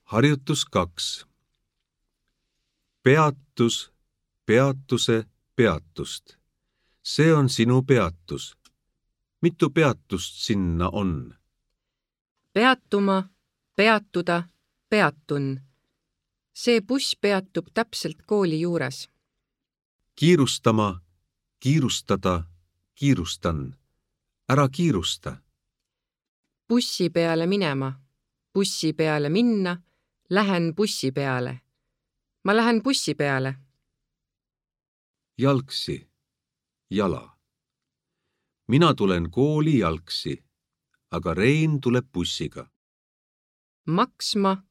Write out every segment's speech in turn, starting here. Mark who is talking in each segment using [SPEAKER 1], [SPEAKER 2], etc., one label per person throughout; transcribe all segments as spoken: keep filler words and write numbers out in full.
[SPEAKER 1] Harjutus kaks. Peatus, peatuse, peatust. See on sinu peatus. Mitu peatust sinna on?
[SPEAKER 2] Peatuma, peatuda, peatun. See buss peatub täpselt kooli juures.
[SPEAKER 1] Kiirustama, kiirustada, kiirustan. Ära kiirusta.
[SPEAKER 2] Bussi peale minema, bussi peale minna, lähen bussi peale. Ma lähen bussi peale.
[SPEAKER 1] Jalgsi, jala. Mina tulen kooli jalgsi, aga Rein tuleb bussiga.
[SPEAKER 2] Maksma,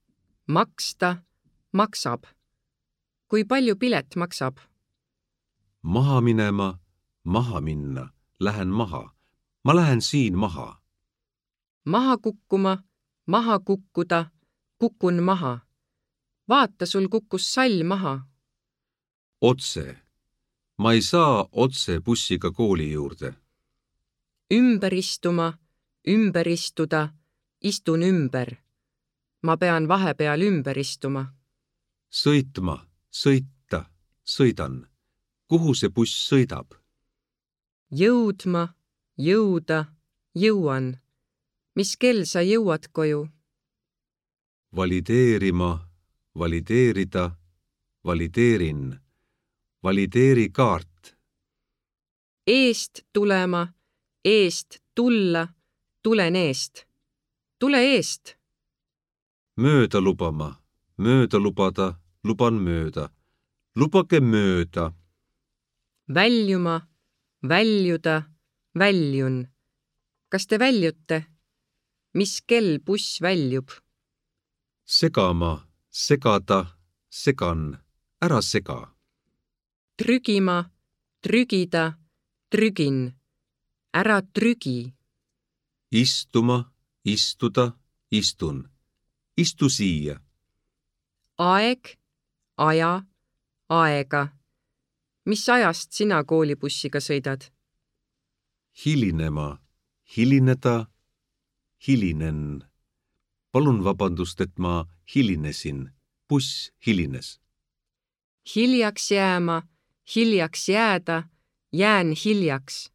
[SPEAKER 2] maksta, maksab. Kui palju pilet maksab?
[SPEAKER 1] Maha minema, maha minna, lähen maha. Ma lähen siin maha.
[SPEAKER 2] Maha kukkuma, maha kukkuda, kukun maha. Vaata, sul kukkus sall maha.
[SPEAKER 1] Otse. Ma ei saa otse bussiga kooli juurde.
[SPEAKER 2] Ümber istuma, ümber istuda, istun ümber. Ma pean vahepeal ümber istuma.
[SPEAKER 1] Sõitma, sõita, sõidan. Kuhu see buss sõidab?
[SPEAKER 2] Jõudma, jõuda, jõuan. Mis kell sa jõuad koju?
[SPEAKER 1] Valideerima, valideerida, valideerin. Valideeri kaart.
[SPEAKER 2] Eest tulema, eest tulla, tulen eest. Tule eest.
[SPEAKER 1] Mööda lubama, mööda lubada, luban mööda. Lubage mööda.
[SPEAKER 2] Väljuma, väljuda, väljun. Kas te väljute? Mis kell buss väljub?
[SPEAKER 1] Segama, segada, segan. Ära sega.
[SPEAKER 2] Trügima, trügida, trügin. Ära trügi.
[SPEAKER 1] Istuma, istuda, istun. Istu siia.
[SPEAKER 2] Aeg, aja, aega. Mis ajast sina koolibussiga sõidad?
[SPEAKER 1] Hilinema, hilineda, hilinen. Palun vabandust, et ma hilinesin. Buss hilines.
[SPEAKER 2] Hiljaks jääma, hiljaks jääda, jään hiljaks.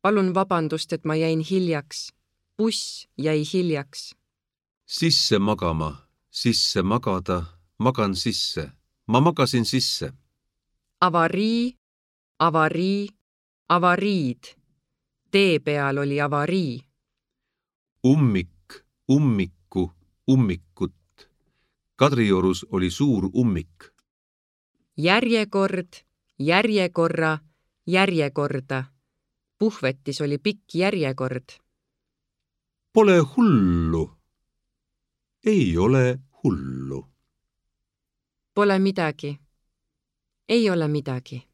[SPEAKER 2] Palun vabandust, et ma jäin hiljaks. Buss jäi hiljaks.
[SPEAKER 1] Sisse magama, sisse magada, magan sisse. Ma magasin sisse.
[SPEAKER 2] Avarii, avarii, avariid. Tee peal oli avarii.
[SPEAKER 1] Ummik, ummikku, ummikut. Kadriorus oli suur ummik.
[SPEAKER 2] Järjekord, järjekorra, järjekorda. Puhvetis oli pikk järjekord.
[SPEAKER 1] Pole hullu. Ei ole hullu.
[SPEAKER 2] Pole midagi. Ei ole midagi.